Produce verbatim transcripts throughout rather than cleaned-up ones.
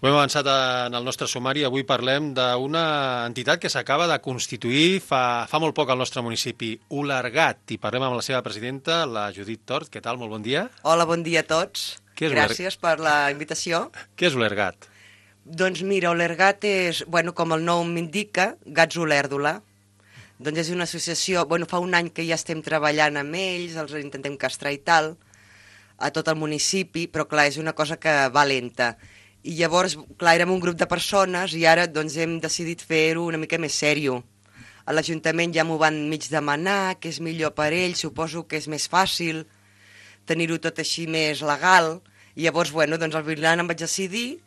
Ho hem avançat en el nostre sumari. Avui parlem d'una entitat que s'acaba de constituir fa, fa molt poc al nostre municipi, Olergat, i parlem amb la seva presidenta, la Judit Tort. Què tal? Molt bon dia. Hola, bon dia a tots. Gràcies per la invitació. Què és Olergat? Doncs mira, Olergat és, bueno, com el nom m'indica, Gats Olèrdola. Doncs és una associació, bueno, fa un any que ja estem treballant amb ells, els intentem castrar i tal, a tot el municipi, però clar, és una cosa que va lenta. I llavors, clar, érem un grup de persones i ara doncs hem decidit fer-ho una mica més sèrio. A l'Ajuntament ja m'ho van mig demanar, que és millor per ells, suposo que és més fàcil tenir-ho tot així més legal. I llavors, bueno, doncs al final em vaig decidir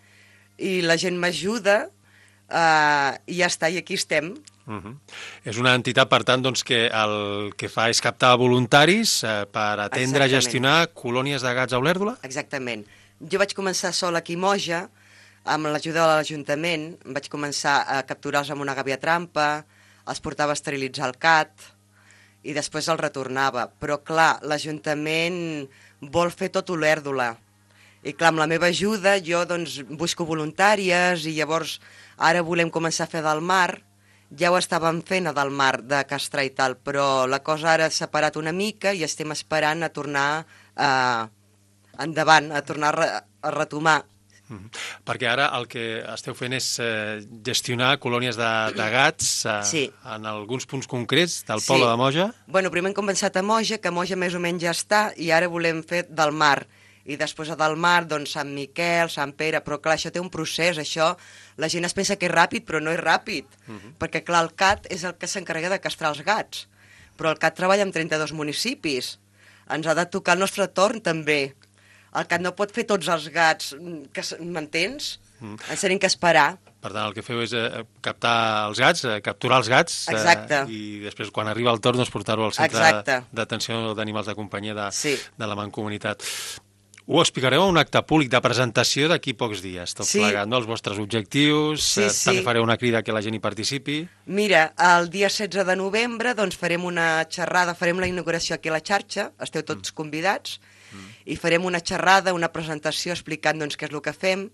i la gent m'ajuda eh, i ja està, i aquí estem. Uh -huh. És una entitat, per tant, doncs, que el que fa és captar voluntaris eh, per atendre i gestionar colònies de gats a Olèrdola? Exactament. Jo vaig començar sola aquí a Moja, amb l'ajuda de l'Ajuntament, vaig començar a capturar-los amb una gàbia trampa, els portava a esterilitzar el cat i després els retornava. Però clar, l'Ajuntament vol fer tot Olèrdola. I clar, amb la meva ajuda jo doncs busco voluntàries i llavors ara volem començar a fer del mar. Ja ho estàvem fent a del mar, de castrar i tal, però la cosa ara s'ha parat una mica i estem esperant a tornar a... endavant, a tornar a, re a retomar. Mm-hmm. Perquè ara el que esteu fent és eh, gestionar colònies de, de gats eh, sí. en alguns punts concrets del sí. poble de Moja? Bueno, primer hem començat a Moja, que Moja més o menys ja està, i ara volem fer del mar. I després a del mar, doncs, Sant Miquel, Sant Pere, però clar, això té un procés, això, la gent es pensa que és ràpid, però no és ràpid, uh-huh. perquè clar, el C A T és el que s'encarrega de castrar els gats, però el C A T treballa en trenta-dos municipis, ens ha de tocar el nostre torn també. El C A T no pot fer tots els gats, m'entens? Mm. Ens tenim que esperar. Per tant, el que feu és eh, captar els gats, eh, capturar els gats, eh, i després, quan arriba el torn, doncs, portar-ho al centre d'atenció d'animals de companyia de, sí. de la Mancomunitat. Ho explicareu a un acte públic de presentació d'aquí pocs dies, tot sí. plegat, no? Els vostres objectius, sí, eh, sí. també fareu una crida que la gent hi participi. Mira, el dia setze de novembre doncs, farem una xerrada, farem la inauguració aquí a la xarxa, esteu tots mm. convidats, mm. i farem una xerrada, una presentació explicant doncs, què és el que fem.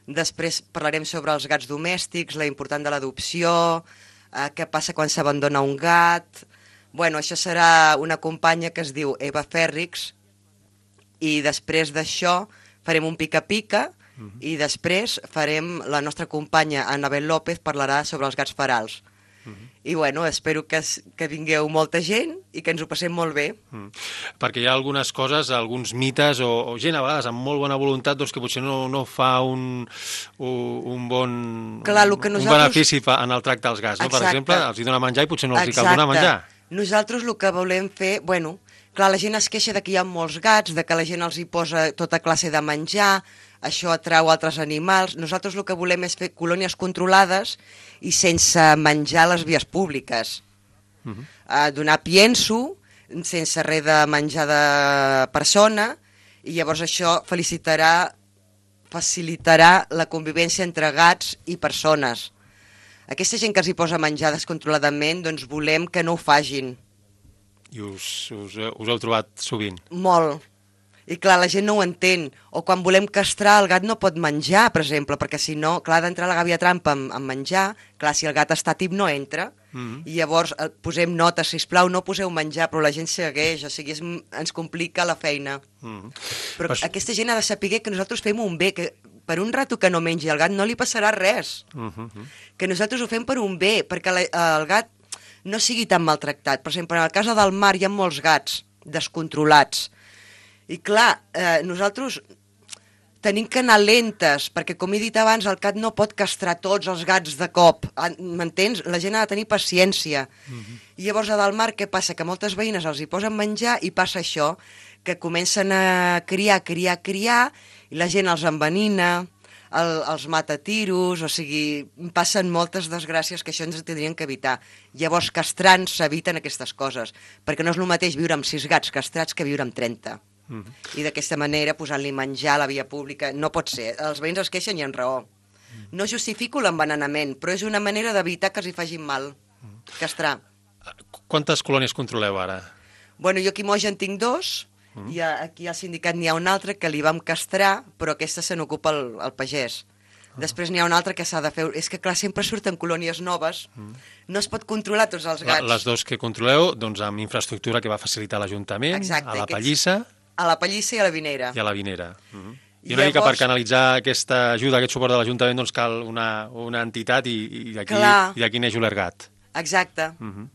Després parlarem sobre els gats domèstics, la importància de l'adopció, eh, què passa quan s'abandona un gat. Bueno, això serà una companya que es diu Eva Fèrrix, i després d'això farem un pica-pica uh-huh. i després farem, la nostra companya Anabel López parlarà sobre els gats ferals. Uh-huh. I bueno, espero que, que vingueu molta gent i que ens ho passem molt bé. Uh-huh. Perquè hi ha algunes coses, alguns mites o, o gent a vegades amb molt bona voluntat doncs, que potser no, no fa un, un bon Clar, que un nosaltres... benefici en el tracte als gats. No? Per exemple, els hi dona menjar i potser no els hi cal donar menjar. Nosaltres el que volem fer, bueno... Clar, la gent es queixa de que hi ha molts gats, de que la gent els hi posa tota classe de menjar, això atrau altres animals. Nosaltres el que volem és fer colònies controlades i sense menjar a les vies públiques. Uh-huh. uh, donar pienso, sense res de menjar de persona, i llavors això felicitarà, facilitarà la convivència entre gats i persones. Aquesta gent que els hi posa menjar descontroladament, doncs volem que no ho fagin. I us, us, us heu trobat sovint? Molt. I clar, la gent no ho entén. O quan volem castrar, el gat no pot menjar, per exemple, perquè si no, clar, ha d'entrar la gàbia trampa amb, amb menjar, clar, si el gat està tip no entra, mm-hmm. i llavors eh, posem notes, sisplau, no poseu menjar, però la gent segueix, o sigui, és, ens complica la feina. Mm-hmm. Però Pas... aquesta gent ha de saber que nosaltres fem un bé, que per un rato que no mengi el gat no li passarà res. Mm-hmm. Que nosaltres ho fem per un bé, perquè la, el gat no sigui tan maltractat. Per exemple, en el cas del mar hi ha molts gats descontrolats. I clar, eh, nosaltres tenim que anar lentes, perquè com he dit abans, el cat no pot castrar tots els gats de cop. M'entens? La gent ha de tenir paciència. Uh-huh. I llavors a del mar què passa? Que moltes veïnes els hi posen menjar i passa això, que comencen a criar, criar, criar, i la gent els envenina, El, els mata a tiros, o sigui, passen moltes desgràcies que això ens tindrien que evitar. Llavors, castrant s'eviten aquestes coses, perquè no és el mateix viure amb sis gats castrats que viure amb trenta. Mm-hmm. I d'aquesta manera, posant-li menjar a la via pública, no pot ser. Els veïns es queixen i en raó. Mm. No justifico l'envenenament, però és una manera d'evitar que els hi facin mal. Mm. Castrar. Quantes colònies controleu ara? Bueno, jo aquí a Moja en tinc dos, Mm. I aquí al sindicat n'hi ha un altre que li vam castrar, però aquesta se n'ocupa el, el pagès. Després n'hi ha una altra que s'ha de fer... És que, clar, sempre surten colònies noves, mm. no es pot controlar tots els gats. La, les dos que controleu, doncs amb infraestructura que va facilitar l'Ajuntament, a la Pallissa... A la Pallissa i a la Vinera. I a la Vinera. Mm -hmm. I una Llavors... mica per canalitzar aquesta ajuda, aquest suport de l'Ajuntament, doncs cal una, una entitat i, i d'aquí neix Olergat. Exacte. Mm -hmm.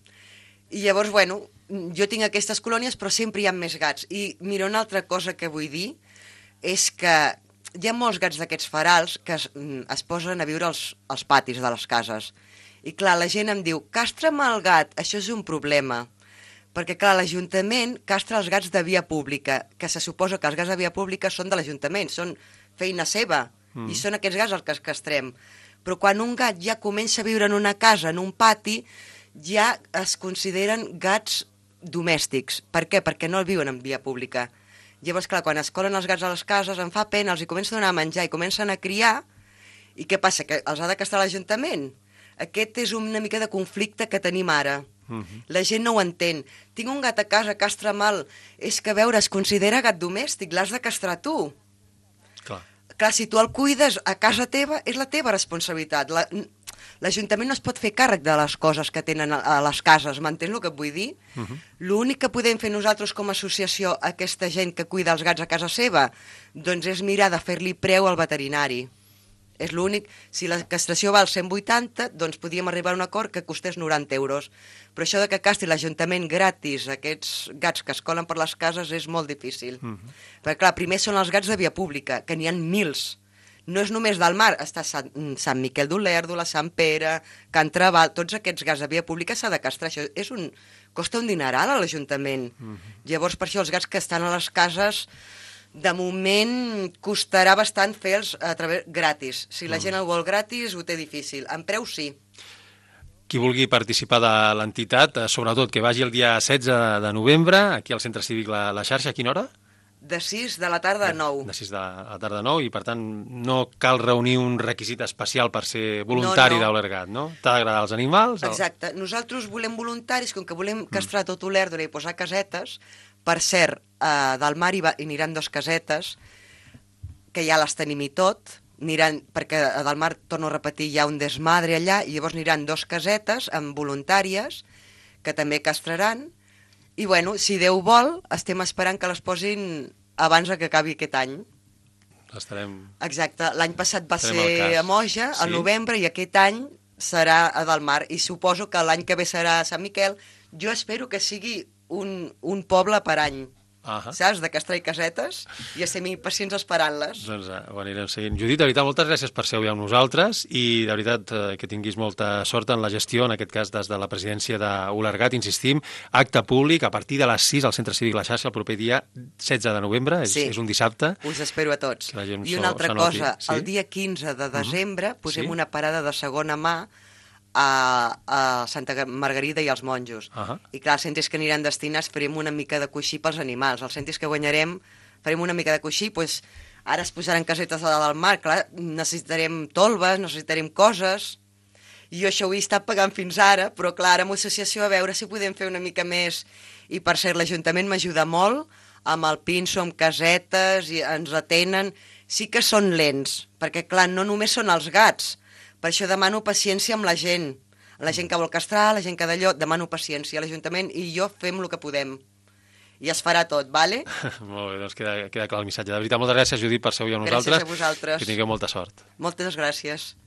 I llavors, bueno, jo tinc aquestes colònies, però sempre hi ha més gats. I mira, una altra cosa que vull dir és que hi ha molts gats d'aquests ferals que es, es posen a viure als, als patis de les cases. I clar, la gent em diu, castra'm el gat, això és un problema. Perquè, clar, l'Ajuntament castra els gats de via pública, que se suposa que els gats de via pública són de l'Ajuntament, són feina seva, mm. i són aquests gats els que castrem. Però quan un gat ja comença a viure en una casa, en un pati, ja es consideren gats domèstics. Per què? Perquè no el viuen en via pública. Llavors, clar, quan es colen els gats a les cases, em fa pena, els hi comença a donar a menjar i comencen a criar, i què passa? Que els ha de castrar l'Ajuntament? Aquest és una mica de conflicte que tenim ara. Uh -huh. La gent no ho entén. Tinc un gat a casa, castra mal. És que, a veure, es considera gat domèstic, l'has de castrar tu. Clar. Clar, si tu el cuides a casa teva, és la teva responsabilitat. La... L'Ajuntament no es pot fer càrrec de les coses que tenen a les cases, m'entens el que et vull dir? Uh -huh. L'únic que podem fer nosaltres com a associació a aquesta gent que cuida els gats a casa seva, doncs és mirar de fer-li preu al veterinari. És l'únic. Si la castració val cent vuitanta, doncs podíem arribar a un acord que costés noranta euros. Però això de que castri l'Ajuntament gratis aquests gats que es colen per les cases és molt difícil. Uh -huh. Perquè, clar, primer són els gats de via pública, que n'hi ha mils. No és només del mar, està Sant, Sant Miquel d'Olèrdola, Sant Pere, Can Trabal, tots aquests gats de via pública s'ha de castrar. Això és un, costa un dineral a l'Ajuntament. Uh -huh. Llavors, per això, els gats que estan a les cases, de moment, costarà bastant fer-los a través gratis. Si la uh -huh. gent el vol gratis, ho té difícil. En preu, sí. Qui vulgui participar de l'entitat, sobretot que vagi el dia setze de novembre, aquí al Centre Cívic La, la Xarxa, a quina hora? De sis de la tarda a nou. De sis de la tarda a nou, i per tant no cal reunir un requisit especial per ser voluntari no, no. d'Olergat, no? T'ha d'agradar els animals? Exacte. O... Nosaltres volem voluntaris, com que volem castrar mm. tot Olèrdola i posar casetes. Per cert, eh, del mar hi, va, hi aniran dos casetes, que ja les tenim i tot, aniran, perquè a del mar, torno a repetir, hi ha un desmadre allà, i llavors aniran dos casetes amb voluntàries, que també castraran. I, bueno, si Déu vol, estem esperant que les posin abans que acabi aquest any. Estarem... Exacte. L'any passat va ser a Moja, sí? Al novembre, i aquest any serà a Delmar. I suposo que l'any que ve serà a Sant Miquel. Jo espero que sigui un, un poble per any. Uh -huh. Saps? De castrar i casetes, i estem impacients esperant-les. Doncs uh, ho anirem seguint. Judit, de veritat, moltes gràcies per ser avui amb nosaltres, i de veritat uh, que tinguis molta sort en la gestió, en aquest cas des de la presidència d'Olergat. Insistim, acte públic a partir de les sis al Centre Cívic La Xarxa el proper dia setze de novembre, és, sí. és un dissabte. Us espero a tots. I una altra cosa, sí? El dia quinze de desembre uh -huh. posem sí? una parada de segona mà a, a Santa Margarida i als monjos. Uh -huh. I clar, els centres que aniran destinats farem una mica de coixí pels animals. Els centres que guanyarem farem una mica de coixí, doncs ara es posaran casetes a dalt del mar, clar, necessitarem tolves, necessitarem coses. I jo això ho he estat pagant fins ara, però clar, amb l'associació a veure si podem fer una mica més. I per cert, l'Ajuntament m'ajuda molt amb el pinso, amb casetes, i ens atenen. Sí que són lents, perquè clar, no només són els gats. Per això demano paciència amb la gent. La gent que vol castrar, la gent que d'allò, demano paciència. L'Ajuntament i jo fem el que podem. I es farà tot, vale? Molt bé, doncs queda, queda clar el missatge. De veritat, moltes gràcies, Judit, per ser avui amb nosaltres. Gràcies a vosaltres. Que tingueu molta sort. Moltes gràcies.